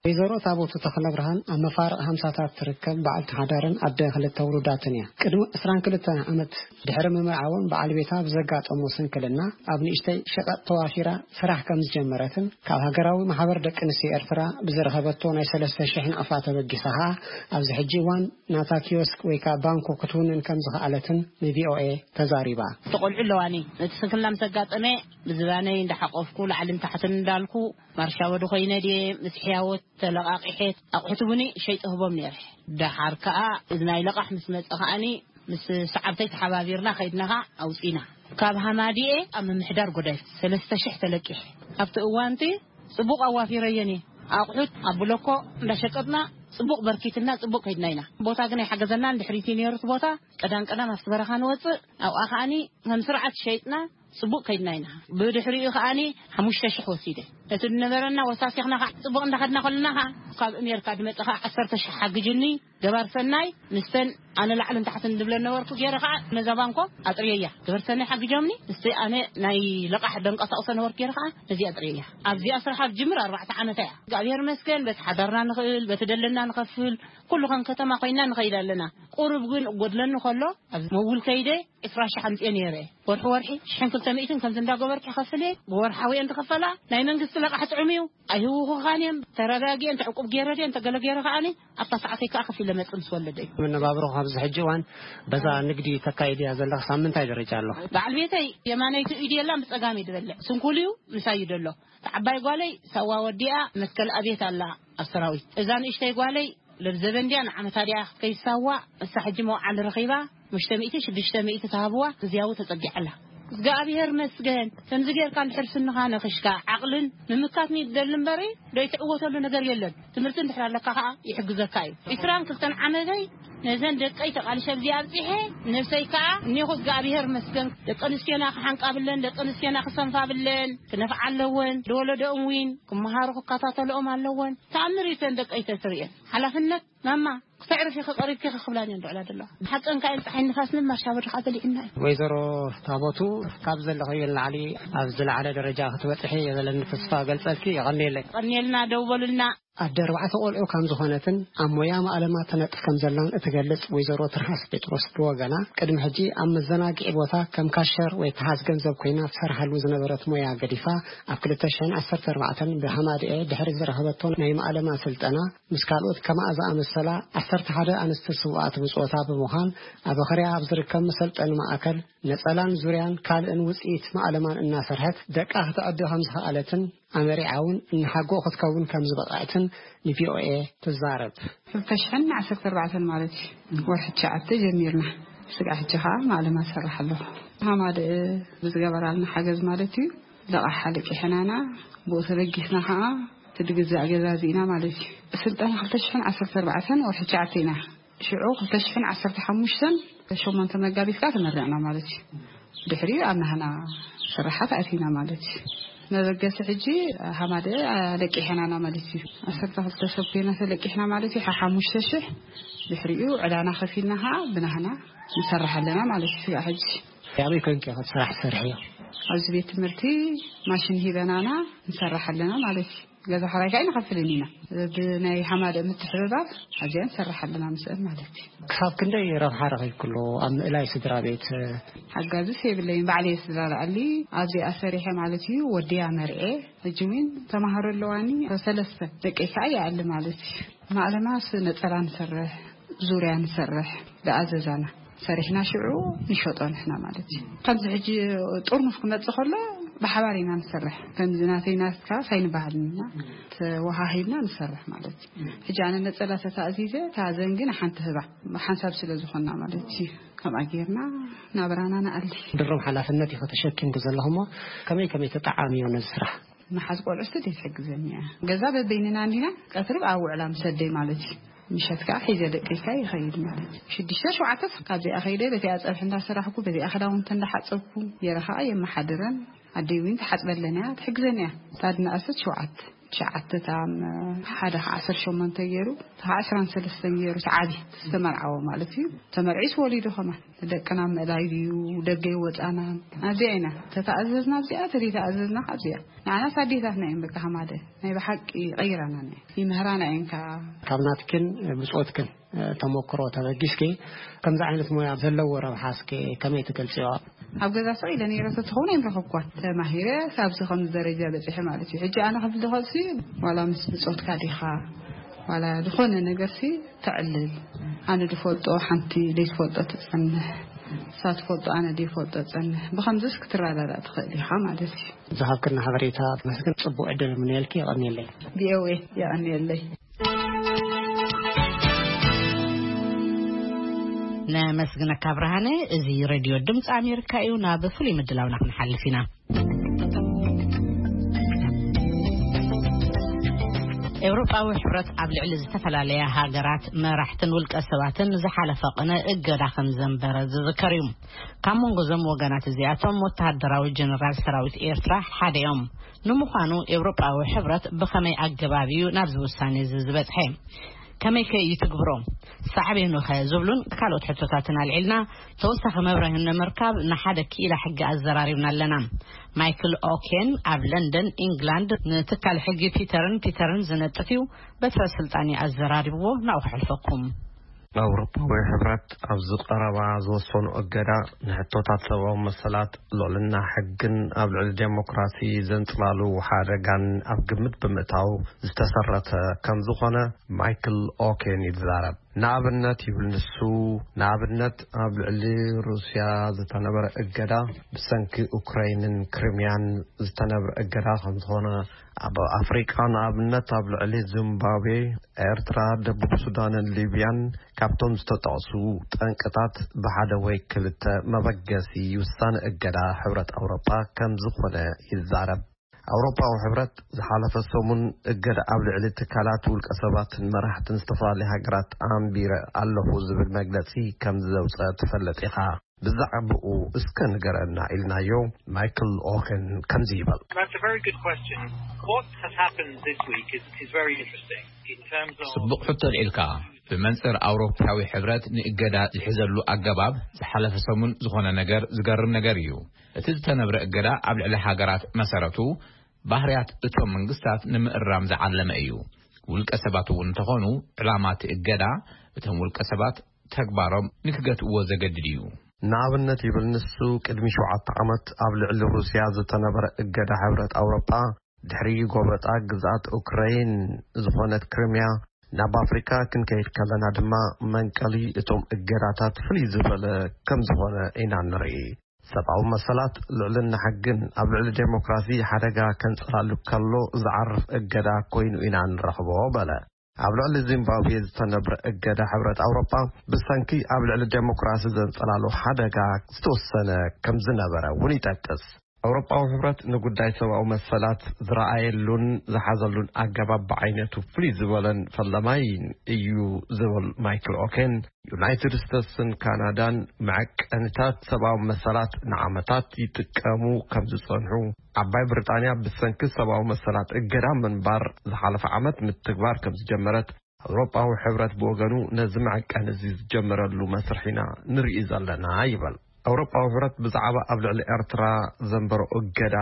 ወይዘሮ ታቦቱ ተኽለብርሃን ኣብ መፋርቕ ሃምሳታት ትርከብ በዓልቲ ሓዳርን ኣደ ክልተ ውሉዳትን እያ። ቅድሚ ዕስራን ክልተን ዓመት ድሕሪ ምምርዓወን በዓል ቤታ ብዘጋጠሞ ስንክልና ኣብ ንእሽተይ ሸቐጥ ተዋፊራ ስራሕ ከም ዝጀመረትን ካብ ሃገራዊ ማሕበር ደቂ ኣንስትዮ ኤርትራ ብዝረኸበቶ ናይ ሰለስተ ሽሕ ናቕፋ ተበጊሳ ኸኣ ኣብዚ ሕጂ እዋን ናታ ኪዮስክ ወይ ከኣ ባንኮ ክትውንን ከም ዝኸኣለትን ንቪኦኤ ተዛሪባ። ተቖልዑ ኣለዋኒ። እቲ ስንክልና ምስ ኣጋጠመ ብዝባነይ እንዳሓቆፍኩ ላዕልን ታሕትን እንዳልኩ ማርሻ ወዲ ኮይነ ድየ ምስ ሕያወት ተለቓቂሐት ኣቑሑት እውን ሸይጠ ህቦም ነይረ። ደሓር ከኣ እዚ ናይ ለቓሕ ምስ መጸ ከኣኒ ምስ ሰዓብተይ ተሓባቢርና ከይድና ከኣ ኣውጺና። ካብ ሃማዲኤ ኣብ ምምሕዳር ጎዳይፍ ሰለስተ ሽሕ ተለቂሐ። ኣብቲ እዋንቲ ጽቡቕ ኣዋፊረየን እየ። ኣቑሑት ኣብ ብሎኮ እንዳሸቀጥና ጽቡቕ በርኪትና ጽቡቕ ከይድና ኢና። ቦታ ግን ኣይሓገዘናን። ድሕሪቲ ነይሩ እቲ ቦታ ቀዳም ቀዳም ኣብቲ በረኻ ንወጽእ ኣብኣ ከኣኒ ከም ስርዓት ሸይጥና ጽቡቕ ከይድና ኢና። ብድሕሪኡ ከኣኒ ሓሙሽተ ሽሕ ወሲደ። እቲ ዝነበረና ወሳሲኽና ከዓ ጽቡቕ እንዳኸድና ከለና ከዓ ካብ ኣሜሪካ ዝመጸ ከዓ ዓሰርተ ሽሕ ሓግጅኒ ገባር ሰናይ ምስተን ኣነ ላዕልን ታሕትን ዝብለን ነበርኩ ገይረ ከዓ ነዛ ባንኮ ኣጥርየያ። ገበር ሰናይ ሓግጆምኒ ምስቲ ኣነ ናይ ለቓሕ ደንቀሳቕሶ ነበርኩ ገይረ ከዓ ነዚኣ ኣጥርየያ። ኣብዚኣ ስራሕ ኣብ ጅምር ኣርባዕተ ዓመታ እያ። እግዚኣብሔር መስገን በቲ ሓዳርና ንኽእል በቲ ደለና ንኸፍል ኩሉ ከም ከተማ ኮይና ንኸይድ ኣለና። ቁሩብ ግን እጎድለኒ ከሎ ኣብ መውል ከይደ ዕስራ ሽሕ ኣምፅኤ ነይረ። ወርሒ ወርሒ ሽሕን ክልተ ሚእትን ከምዚ እንዳገበርኪ ከፍል እየ። ብወርሓዊ እየን ዝኸፈላ። ናይ መንግስቲ ለቃሕ ጥዑም እዩ። ኣይህውኹኻን እዮም። ተረጋጊኤ እንተ ዕቁብ ገይረ ድየ እንተ ገለ ገይረ ከዓኒ ኣብታ ሰዓተይ ከዓ ከፊለ መፅእ ምስ ወለደ እዩ። መነባብሮ ኣብዚ ሕጂ እዋን በዛ ንግዲ ተካይድ እያ ዘለኽ ሳምንታይ ደረጃ ኣሎ? በዓል ቤተይ የማነይቲ ኢድ የላን ብፀጋም እዩ ዝበልዕ። ስንኩል እዩ። ምሳይ እዩ ደሎ። እታ ዓባይ ጓለይ ሳዋ ወዲኣ መትከል ኣብየት ኣላ ኣብ ሰራዊት። እዛ ንእሽተይ ጓለይ ለብዘበን ድያ ንዓመታ ድያ ክትከይድ ሳዋ። እሳ ሕጂ መውዓል ረኺባ። ሙሽተ ሚእቲ ሽዱሽተ ሚእቲ ተሃብዋ ግዝያዊ ተጸጊዐላ። እግዚኣብሔር መስገን። ከምዚ ጌርካ እንድሕር ስንኻ ነኽሽካ ዓቕልን ምምካት ንደሊ እምበሪ ዶ ይትዕወተሉ ነገር የለን። ትምህርቲ እንድሕር ኣለካ ኸዓ ይሕግዘካ እዩ። ዒስራን ክልተን ዓመተይ ነዘን ደቀይ ተቓልሸ ኣብዚ ኣብጺሐ ነብሰይ ከኣ እኔኹ እግዚኣብሔር መስገን። ደቂ ኣንስትዮና ክሓንቃብለን ደቂ ኣንስትዮና ክሰንፋብለን ክነፍዓ ኣለወን። ዝወለደኦም እውን ክመሃሩ ክከታተልኦም ኣለወን። ተኣምር እዩ ተን ደቀይ ተትርእየን። ሓላፍነት ማማ ክተዕርፊ ክቐሪብኪ ክኽብላን እየን ዝውዕላ ዘለዋ። ሓቀን ከኣ እየን። ፀሓይ ንፋስን ማርሻ በድኻ በሊዕና እዩ። ወይዘሮ ታቦቱ ካብ ዘለኽዮ ንላዕሊ ኣብ ዝለዓለ ደረጃ ክትበፅሒ የበለኒ ተስፋ ገልፀልኪ። የቐንየለይ። ቀንየልና ደው በሉልና። ኣደ ኣርባዕተ ቆልዑ ከም ዝኾነትን ኣብ ሞያ ማእለማ ተነጥፍ ከም ዘላን እትገልጽ ወይዘሮ ትርሃስ ጴጥሮስ ብወገና ቅድሚ ሕጂ ኣብ መዘናግዒ ቦታ ከም ካሸር ወይ ተሓዝ ገንዘብ ኮይና ትሰርሓሉ ዝነበረት ሞያ ገዲፋ ኣብ ክልተ ሽሕን ዓሰርተ ኣርባዕተን ብሃማድኤ ድሕሪ ዝረኸበቶ ናይ ማእለማ ስልጠና ምስ ካልኦት ከማኣ ዝኣመሰላ ዓሰርተ ሓደ ኣንስቲ ስውኣት ብጾታ ብምዃን ኣብ ኣኸርያ ኣብ ዝርከብ መሰልጠኒ ማእከል ነጸላን ዙርያን ካልእን ውጽኢት ማእለማን እናሰርሐት ደቃ ክተዕቢ ከም ዝኸኣለትን ኣመሪዓ እውን እናሓጎ ክትከውን ከም ዝበቕዐትን ንቪኦኤ ትዛረብ። ክልተ ሽሕን ዓሰርተ ኣርባዕተን ማለት እዩ። ወርሒ ትሽዓተ ጀሚርና። ስጋዕ ሕጂ ኸዓ ማእለማ ዝሰርሕ ኣለኹ። ሃማደ ብዝገበራልና ሓገዝ ማለት እዩ። ለቓሕ ሓለቂሕናና፣ ብኡ ተበጊስና ኸዓ እቲ ድግዛእ ገዛዚእና ማለት እዩ። ስልጠና ክልተ ሽሕን ዓሰርተ ኣርባዕተን ወርሒ ትሽዓተ ኢና። ሽዑ ክልተ ሽሕን ዓሰርተ ሓሙሽተን ሸሞንተ መጋቢት ከኣ ተመሪቕና ማለት እዩ። ድሕሪኡ ኣብ ናህና ስራሓት ኣቲና ማለት እዩ። መበገሲ ሕጂ ሃማደ ኣለቂሐናና ማለት እዩ። ዓሰርተ ክልተ ሰብ ኮይና ተለቂሕና ማለት እዩ። ሓ-፣ ሓሙሽተ ሽሕ ድሕሪኡ ዕዳና ከፊልና ከኣ ብናህና ንሰርሕ ኣለና ማለት እዩ። ስጋዕ ሕጂ ኣበይ ኮንኪ ኢኺ ስራሕ ትሰርሕዮ? ኣብዚ ቤት ትምህርቲ ማሽን ሂበናና ንሰርሕ ኣለና ማለት እዩ። ገዛ ኽራይ ከኣ ኣይንኸፍልን ኢና። ብናይ ሃማደ ምትሕብባር ኣብዚኣ ንሰርሕ ኣለና ምስአን ማለት እዩ። ክሳብ ክንደይ ረብሓ ረኺብክሉ ኣብ ምእላይ ስድራ ቤት? ሓጋዝስ የብለይን፣ ባዕለይ ስድራ ለኣሊ ኣብዚኣ ሰሪሐ ማለት እዩ። ወዲያ መርዔ፣ ሕጂ እውን ተማሃሮ ኣለዋኒ፣ ሰለስተ ደቀይ ከኣ ይኣሊ ማለት እዩ። ማእለማስ ነጸላ ንሰርሕ፣ ዙርያ ንሰርሕ፣ ዝኣዘዛና ሰሪሕና ሽዑ ንሸጦ ንሕና ማለት እዩ። ከምዚ ሕጂ ጥርሙስ ክመጽእ ከሎ ብሓባር ኢና ንሰርሕ። ከምዚ ናተይ ናትካ ኣይንበሃልን ኢና፣ ተወሃሂብና ንሰርሕ ማለት እዩ። ሕጂ ኣነ ነጸላ ተታእዚዘ፣ እታ ዘንጊ ንሓንቲ ህባ፣ ሓንሳብ ስለ ዝኾንና ማለት እዩ። ከምኣ ጌርና ናብራና ንኣሊ። ድሩም ሓላፍነት ኢኺ ተሸኪምኪ ዘለኹ እሞ፣ ከመይ ከመይ ተጠዓምዮ ነዚ ስራሕ? መሓዝ ቆልዑ ስደት ትሕግዘኒ እያ። ገዛ በበይንና እንዲና፣ ቀትሪ ኣብ ውዕላ ምስ ኣደይ ማለት እዩ። ምሸት ከዓ ሒዘ ደቀይካ ይኸይድ ማለት እዩ። ሽዱሽተ ሸውዓተ ካብዚኣ ከይደ በዚኣ ፀብሒ እንዳሰራሕኩ፣ በዚኣ ክዳውንቲ እንዳሓፀብኩ፣ የረ ከዓ የመሓድረን። ኣደይ እውን ትሓፅበለን እያ፣ ትሕግዘን እያ። እታ ድንኣሰት ሸውዓተ፣ ትሽዓተ፣ እታ ሓደ ከዓ ዓሰርተ ሸሞንተ ገይሩ፣ እታ ከዓ ዕስራን ሰለስተን ገይሩ፣ እቲ ዓብዪ ዝተመርዓወ ማለት እዩ። ተመርዒስ ወሊዱ ከማን ደቅና ምእላይ ድዩ፣ ደገ ይወፃና። ኣብዚኣ ኢና ተተኣዘዝና ኣብዚኣ፣ ተዘይተኣዘዝና ኣብዚኣ። ንዓናስ ኣዴታትና እየን በቃ፣ ከማደ ናይ ብሓቂ ይቐይራና እየን፣ ይምህራና እየን ከዓ። ካብ ናትክን ብጾትክን ተሞክሮ ተበጊስኪ፣ ከምዚ ዓይነት ሞያ ዘለዎ ረብሓ እስኪ ከመይ ትገልጽዮ? ኣብ ገዛ ስቕ ኢለ ነይረ ተትኸውን ኣይምረኸብኳን። ተማሂረ ካብዚ ከምዚ ደረጃ በጺሐ ማለት እዩ። ሕጂ ኣነ ክብል ዝኽእልሲ፣ ዋላ ምስ ብጾትካ ዲኻ፣ ዋላ ዝኾነ ነገርሲ ተዕልል። ኣነ ዝፈልጦ ሓንቲ ዘይትፈልጦ ትጸንሕ፣ እሳ ትፈልጦ ኣነ ዘይፈልጦ ጸንሕ። ብኸምዚስ ክትረዳዳእ ትኽእል ኢኻ ማለት እዩ። ዝሃብክና ሓበሬታ መስግን ጽቡቕ ዕድል ምንየልኪ፣ የቐንየለይ። ቪኦኤ የቐንየለይ። ነመስግነካ ብርሃነ። እዚ ሬድዮ ድምፂ ኣሜሪካ እዩ። ናብ ፍሉይ ምድላውና ክንሓልፍ ኢና። ኤውሮጳዊ ሕብረት ኣብ ልዕሊ ዝተፈላለያ ሃገራት መራሕትን ውልቀ ሰባትን ዝሓለፈ ቅነ እገዳ ከም ዘንበረ ዝዝከር እዩ። ካብ መንጎ እዞም ወገናት እዚኣቶም ወተሃደራዊ ጀነራል ሰራዊት ኤርትራ ሓደ እዮም። ንምዃኑ ኤውሮጳዊ ሕብረት ብኸመይ ኣገባብ እዩ ናብዚ ውሳኔ እዚ ዝበጽሐ? ከመይ ከ እዩ ትግብሮ? ሳዕቤኑ ኸ ዝብሉን ካልኦት ሕቶታትን ኣልዒልና ተወሳኺ መብርሂ ንምርካብ ንሓደ ክኢላ ሕጊ ኣዘራሪብና ኣለና። ማይክል ኦኬን ኣብ ለንደን ኢንግላንድ ንትካል ሕጊ ፒተርን ፒተርን ዝነጥፍ እዩ። በትረ ስልጣን ኣዘራሪብዎ ናብኡ ክሕልፈኩም። ኣውሮፓዊ ሕብረት ኣብዚ ቀረባ ዝወሰኑ እገዳ ንሕቶታት ሰብኣዊ መሰላት፣ ልዕልና ሕግን ኣብ ልዕሊ ዴሞክራሲ ዘንጽላሉ ሓደጋን ኣብ ግምት ብምእታው ዝተሰረተ ከም ዝኾነ ማይክል ኦኬን ይዛረብ። ንኣብነት ይብል ንሱ፣ ንኣብነት ኣብ ልዕሊ ሩስያ ዝተነበረ እገዳ ብሰንኪ ኡክራይንን ክሪምያን ዝተነብረ እገዳ ከም ዝኾነ፣ ኣብ ኣፍሪቃ ንኣብነት ኣብ ልዕሊ ዚምባብዌ፣ ኤርትራ፣ ደቡብ ሱዳንን ሊብያን ካብቶም ዝተጠቕሱ ጠንቅታት ብሓደ ወይ ክልተ መበገሲ ውሳነ እገዳ ሕብረት ኣውሮጳ ከም ዝኾነ ይዛረብ። ኣውሮፓዊ ሕብረት ዝሓለፈ ሰሙን እገዳ ኣብ ልዕሊ ትካላት ውልቀ ሰባትን መራሕትን ዝተፈላለዩ ሃገራት ኣንቢረ ኣለኹ ዝብል መግለጺ ከም ዘውፀ ትፈልጥ ኢኻ። ብዛዕባኡ እስከ ንገረና ኢልናዮ። ማይክል ኦኸን ከምዚ ይብል። That's a very good question. What has happened this week is, is very interesting in terms of ጽቡቕ ሕቶ ኣልዒልካ። ብመንጽር ኣውሮፓዊ ሕብረት ንእገዳ ዝሕዘሉ ኣገባብ ዝሓለፈ ሰሙን ዝኾነ ነገር ዝገርም ነገር እዩ። እቲ ዝተነብረ እገዳ ኣብ ልዕሊ ሃገራት መሰረቱ ባህርያት እቶም መንግስታት ንምእራም ዝዓለመ እዩ። ውልቀ ሰባት እውን እንተኾኑ ዕላማ እቲ እገዳ እቶም ውልቀ ሰባት ተግባሮም ንክገትእዎ ዘገድድ እዩ። ንኣብነት ይብል ንሱ፣ ቅድሚ ሸውዓተ ዓመት ኣብ ልዕሊ ሩስያ ዝተነበረ እገዳ ሕብረት ኣውሮፓ ድሕሪ ጎበጣ ግዝኣት ኡክራይን ዝኾነት ክሪምያ ናብ ኣፍሪካ ክንከይድ ከለና ድማ መንቀሊ እቶም እገዳታት ፍልይ ዝበለ ከም ዝኾነ ኢና ንርኢ። ሰብኣዊ መሰላት፣ ልዕልና ሕግን ኣብ ልዕሊ ዴሞክራሲ ሓደጋ ከንጽላሉ ከሎ ዝዓርፍ እገዳ ኮይኑ ኢና ንረኽቦ በለ። ኣብ ልዕሊ ዚምባብዌ ዝተነብረ እገዳ ሕብረት ኣውሮጳ ብሰንኪ ኣብ ልዕሊ ዴሞክራሲ ዘንጸላሉ ሓደጋ ዝተወሰነ ከም ዝነበረ እውን ይጠቅስ። ኣውሮጳዊ ሕብረት ንጉዳይ ሰብኣዊ መሰላት ዝረኣየሉን ዝሓዘሉን ኣገባብ ብዓይነቱ ፍሉይ ዝበለን ፈላማይን እዩ ዝብል ማይክል ኦኬን፣ ዩናይትድ ስቴትስን ካናዳን መዐቀንታት ሰብኣዊ መሰላት ንዓመታት ይጥቀሙ ከም ዝጸንሑ፣ ዓባይ ብሪጣንያ ብሰንኪ ሰብኣዊ መሰላት እገዳ ምንባር ዝሓለፈ ዓመት ምትግባር ከም ዝጀመረት፣ ኣውሮጳዊ ሕብረት ብወገኑ ነዚ መዐቀኒ እዚ ዝጀመረሉ መስርሕ ኢና ንርኢ ዘለና ይብል። ኣውሮጳዊ ሕብረት ብዛዕባ ኣብ ልዕሊ ኤርትራ ዘንበሮ እገዳ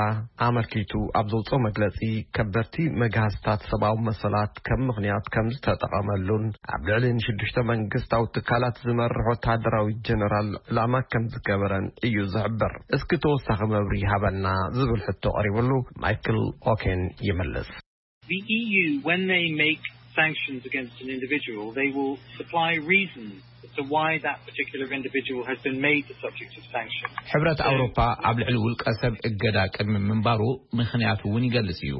ኣመልኪቱ ኣብ ዘውፅኦ መግለፂ፣ ከበድቲ መግሃስታት ሰብኣዊ መሰላት ከም ምኽንያት ከም ዝተጠቐመሉን ኣብ ልዕሊ ንሽዱሽተ መንግስታዊ ትካላት ዝመርሕ ወተሃደራዊ ጀነራል ዕላማ ከም ዝገበረን እዩ ዝሕብር። እስኪ ተወሳኺ መብርሂ ሃበና ዝብል ሕቶ ቀሪብሉ፣ ማይክል ኦኬን ይምልስ። The E U, when they make sanctions against an individual, they will supply reasons as to why that particular individual has been made the subject of sanctions. ሕብረት ኣውሮፓ ኣብ ልዕሊ ውልቀ ሰብ እገዳ ቅድሚ ምንባሩ ምኽንያቱ እውን ይገልጽ እዩ።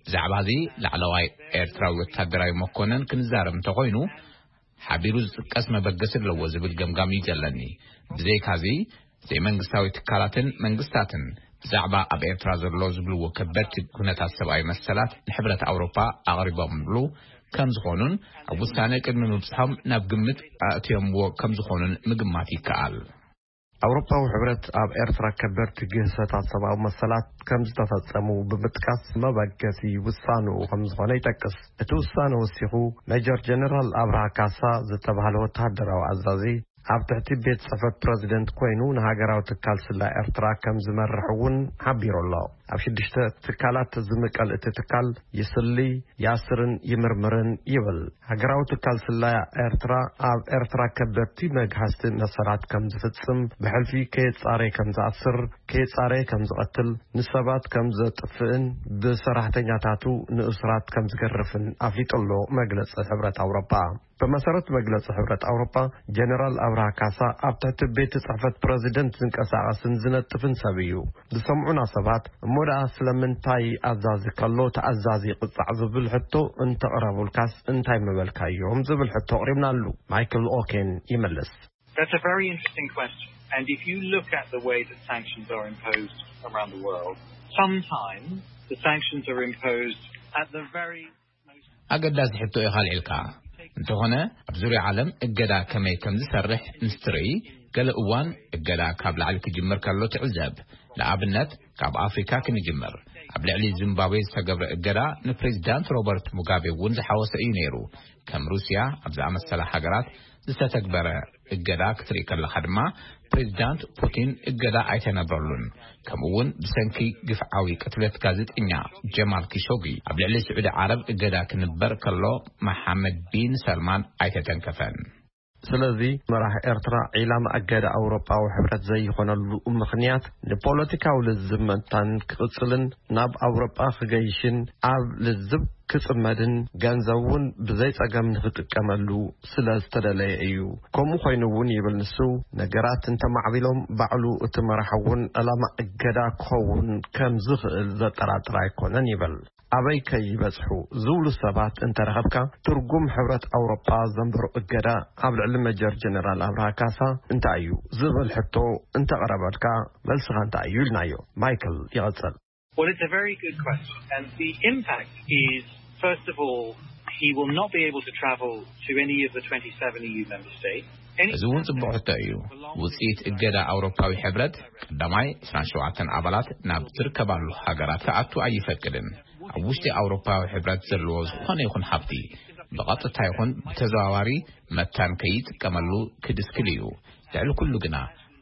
ብዛዕባ እዚ ላዕለዋይ ኤርትራዊ ወታደራዊ መኮነን ክንዛረብ እንተኾይኑ፣ ሓቢሩ ዝጥቀስ መበገሲ ኣለዎ ዝብል ገምጋም እዩ ዘለኒ። ብዘይካዚ፣ ዘይመንግስታዊ ትካላትን መንግስታትን ብዛዕባ ኣብ ኤርትራ ዘሎ ዝብልዎ ከበድቲ ኩነታት ሰብኣዊ መሰላት ንሕብረት ኣውሮፓ ኣቕሪቦምሉ ከም ዝኾኑን ኣብ ውሳነ ቅድሚ ምብጽሖም ናብ ግምት ኣእትዮምዎ ከም ዝኾኑን ምግማት ይከኣል። ኣውሮፓዊ ሕብረት ኣብ ኤርትራ ከበድቲ ግህሰታት ሰብኣዊ መሰላት ከም ዝተፈጸሙ ብምጥቃስ መበገሲ ውሳንኡ ከም ዝኾነ ይጠቅስ። እቲ ውሳነ ወሲኹ ሜጀር ጀነራል ኣብርሃ ካሳ ዝተባህለ ወተሃደራዊ ኣዛዚ ኣብ ትሕቲ ቤት ጽሕፈት ፕረዚደንት ኮይኑ ንሃገራዊ ትካል ስላ ኤርትራ ከም ዝመርሕ እውን ሓቢሩ ኣሎ። ኣብ ሽዱሽተ ትካላት ዝምቀል እቲ ትካል ይስሊ፣ ያስርን ይምርምርን ይብል። ሃገራዊ ትካል ስላ ኤርትራ ኣብ ኤርትራ ከበድቲ መግሃስቲ መሰላት ከም ዝፍጽም፣ ብሕልፊ ከየጻረየ ከም ዝኣስር፣ ከየጻረየ ከም ዝቐትል፣ ንሰባት ከም ዘጥፍእን ብሰራሕተኛታቱ ንእሱራት ከም ዝገርፍን ኣፍሊጡ ኣሎ መግለጺ ሕብረት ኣውሮፓ። ብመሰረት መግለጺ ሕብረት ኣውሮፓ፣ ጀነራል ኣብርሃ ካሳ ኣብ ትሕቲ ቤት ጽሕፈት ፕረዚደንት ዝንቀሳቐስን ዝነጥፍን ሰብ እዩ። ዝሰምዑና ሰባት፣ እሞ ደኣ ስለምንታይ ኣዛዚ ከሎ ተኣዛዚ ይቕጻዕ ዝብል ሕቶ እንተቕረቡልካስ እንታይ ምበልካዮም ዝብል ሕቶ ኣቕሪብናሉ። ማይክል ኦኬን ይመልስ። That's a very interesting question. And if you look at the way that sanctions are imposed around the world, sometimes the sanctions are imposed at the very most ኣገዳሲ ሕቶ ኢኻ ኣልዒልካ። እንተኾነ ኣብ ዙርያ ዓለም እገዳ ከመይ ከም ዝሰርሕ ምስ ትርኢ፣ ገለ እዋን እገዳ ካብ ላዕሊ ክጅምር ከሎ ትዕዘብ። ንኣብነት ካብ ኣፍሪካ ክንጅምር። ኣብ ልዕሊ ዚምባብዌ ዝተገብረ እገዳ ንፕሬዚዳንት ሮበርት ሙጋቤ እውን ዝሓወሰ እዩ ነይሩ። ከም ሩስያ ኣብ ዝኣመሰላ ሃገራት ዝተተግበረ እገዳ ክትርኢ ከለኻ ድማ፣ ፕሬዚዳንት ፑቲን እገዳ ኣይተነብረሉን። ከምኡ እውን ብሰንኪ ግፍዓዊ ቅትለት ጋዜጠኛ ጀማል ኪሾጊ ኣብ ልዕሊ ስዑዲ ዓረብ እገዳ ክንበር ከሎ፣ መሓመድ ቢን ሰልማን ኣይተተንከፈን። ስለዚ መራሕ ኤርትራ ዒላማ እገዳ ኣውሮጳዊ ሕብረት ዘይኾነሉ ምኽንያት፣ ንፖለቲካዊ ልዝብ ምእንታን ክቕጽልን ናብ ኣውሮጳ ክገይሽን ኣብ ልዝብ ክጽመድን ገንዘብ እውን ብዘይ ጸገም ንኽጥቀመሉ ስለ ዝተደለየ እዩ። ከምኡ ኮይኑ እውን ይብል ንሱ፣ ነገራት እንተማዕቢሎም ባዕሉ እቲ መራሕ እውን ዕላማ እገዳ ክኸውን ከም ዝኽእል ዘጠራጥር ኣይኮነን ይብል። ኣበይ ከይበጽሑ ዝብሉ ሰባት እንተረኸብካ፣ ትርጉም ሕብረት ኣውሮጳ ዘንበሮ እገዳ ኣብ ልዕሊ መጀር ጀነራል ኣብርሃ ካሳ እንታይ እዩ ዝብል ሕቶ እንተቐረበልካ፣ መልስኻ እንታይ እዩ ኢልናዮ። ማይክል ይቐጽል። Well, it's a very good question. And the impact is, first of all, he will not be able to travel to any of the twenty-seven E U member states. Any እዚ እውን ጽቡቕ ሕቶ እዩ። ውጽኢት እገዳ ኣውሮፓዊ ሕብረት፣ ቀዳማይ፣ ዕስራን ሸውዓተን ኣባላት ናብ ዝርከባሉ ሃገራት ክኣቱ ኣይፈቅድን። ኣብ ውሽጢ ኣውሮፓዊ ሕብረት ዘለዎ ዝኾነ ይኹን ሃብቲ፣ ብቐጥታ ይኹን ብተዘዋዋሪ፣ መታን ከይጥቀመሉ ክድስክል እዩ። ልዕሊ ኩሉ ግና፣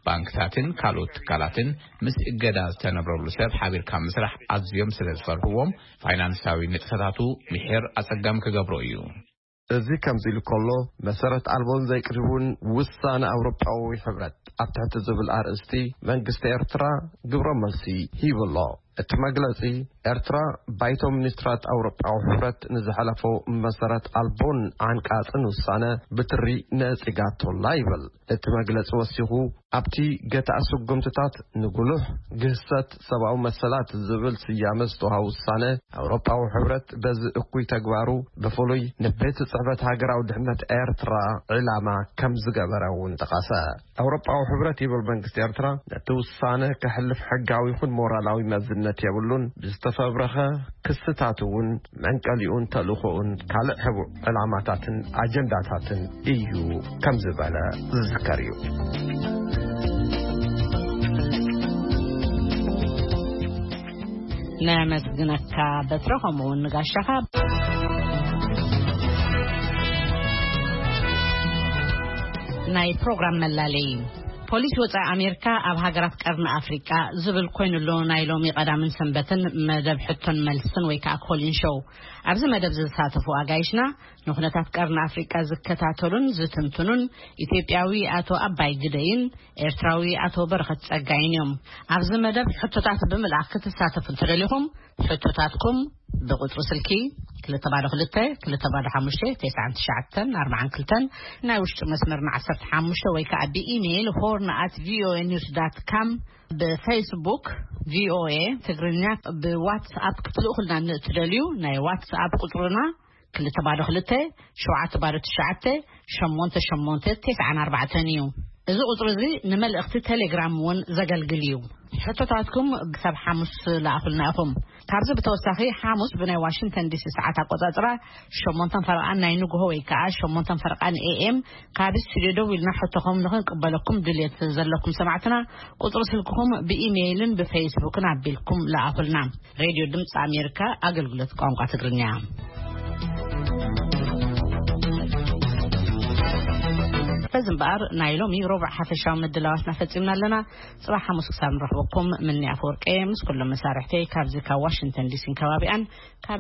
ባንክታትን ካልኦት ትካላትን ምስ እገዳ ዝተነብረሉ ሰብ ሓቢርካ ምስራሕ ኣዝዮም ስለ ዝፈርህዎም፣ ፋይናንሳዊ ንጥፈታቱ ምሒር ኣጸጋሚ ክገብሮ እዩ። እዚ ከምዚ ኢሉ ከሎ፣ መሰረት ኣልቦን ዘይቅድውን ውሳነ ኣውሮጳዊ ሕብረት ኣብ ትሕቲ ዝብል ኣርእስቲ መንግስቲ ኤርትራ ግብረ መልሲ ሂቡ ኣሎ። እቲ መግለጺ፣ ኤርትራ ባይቶ ሚኒስትራት ኣውሮጳዊ ሕብረት ንዝሓለፎ መሰረት ኣልቦን ዓንቃጽን ውሳነ ብትሪ ነጺጋቶላ ይብል። እቲ መግለጺ ወሲኹ፣ ኣብቲ ገታእ ስጉምትታት ንጉሉሕ ግህሰት ሰብኣዊ መሰላት ዝብል ስያመ ዝተዋሃበ ውሳነ፣ ኣውሮጳዊ ሕብረት በዚ እኩይ ተግባሩ ብፍሉይ ንቤት ጽሕፈት ሃገራዊ ድሕነት ኤርትራ ዕላማ ከም ዝገበረ እውን ጠቐሰ። ኣውሮጳዊ ሕብረት ይብል መንግስቲ ኤርትራ ነቲ ውሳነ ከሕልፍ ሕጋዊ ይኹን ሞራላዊ መዝነት የብሉን፣ ብዝተፈብረኸ ክስታት እውን መንቀሊኡን ተልእኾኡን ካልእ ሕቡእ ዕላማታትን ኣጀንዳታትን እዩ ከም ዝበለ ዝዝከር እዩ። ነመስግነካ በትረ፣ ከምኡ እውን ንጋሻኻ። ናይ ፕሮግራም መላለይ። ፖሊስ ወጻኢ ኣሜሪካ ኣብ ሃገራት ቀርኒ ኣፍሪቃ ዝብል ኮይኑ ኣሎ ናይ ሎሚ ቀዳምን ሰንበትን መደብ ሕቶን መልስን ወይ ከዓ ኮሊን ሾው። ኣብዚ መደብ ዝተሳተፉ ኣጋይሽና ንኩነታት ቀርኒ ኣፍሪቃ ዝከታተሉን ዝትንትኑን ኢትዮጵያዊ ኣቶ ኣባይ ግደይን ኤርትራዊ ኣቶ በረኸት ጸጋይን እዮም። ኣብዚ መደብ ሕቶታት ብምልኣኽ ክትሳተፉ እንተደሊኹም፣ ሕቶታትኩም ብቁጽሪ ስልኪ ክልተ ባዶ ክልተ፣ ክልተ ባዶ ሓሙሽተ፣ ተስዓን ትሽዓተን ኣርባዓን ክልተን፣ ናይ ውሽጢ መስመርና ዓሰርተ ሓሙሽተ ወይ ከዓ ብኢሜይል ሆርን ኣት ቪኦኤ ኒውስ ዳት ካም፣ ብፌስቡክ ቪኦኤ ትግርኛ፣ ብዋትስኣፕ ክትልእኹልና ንእትደልዩ ናይ ዋትስኣፕ ቁጽርና ክልተ ባዶ ክልተ፣ ሸውዓተ ባዶ ትሽዓተ፣ ሸሞንተ ሸሞንተ፣ ተስዓን ኣርባዕተን እዩ። እዚ ቁጽሪ እዚ ንመልእኽቲ ቴሌግራም እውን ዘገልግል እዩ። ሕቶታትኩም ክሳብ ሓሙስ ለኣኹልና ኢኹም። ካብዚ ብተወሳኺ፣ ሓሙስ ብናይ ዋሽንግተን ዲሲ ሰዓት ኣቆጻጽራ ሸሞንተን ፈረቓን ናይ ንግሆ ወይ ከዓ ሸሞንተን ፈረቓን ኤ ኤም ካብ ስቱዲዮ ደዊልና ሕቶኹም ንኽንቅበለኩም ድልየት ዘለኩም ሰማዕትና፣ ቁጽሪ ስልክኹም ብኢሜይልን ብፌስቡክን ኣቢልኩም ለኣኹልና። ሬድዮ ድምፂ ኣሜሪካ፣ ኣገልግሎት ቋንቋ ትግርኛ። በዚ እምበኣር፣ ናይ ሎሚ ሮብዕ ሓፈሻዊ ምድላዋትና ፈጺምና ኣለና። ጽባሕ ሓሙስ ክሳብ ንረኽበኩም፣ ምኒ ኣፈወርቂ ምስ ኩሎም መሳርሕተይ ካብዚ ካብ ዋሽንግተን ዲሲን ከባቢኣን፣ ካብ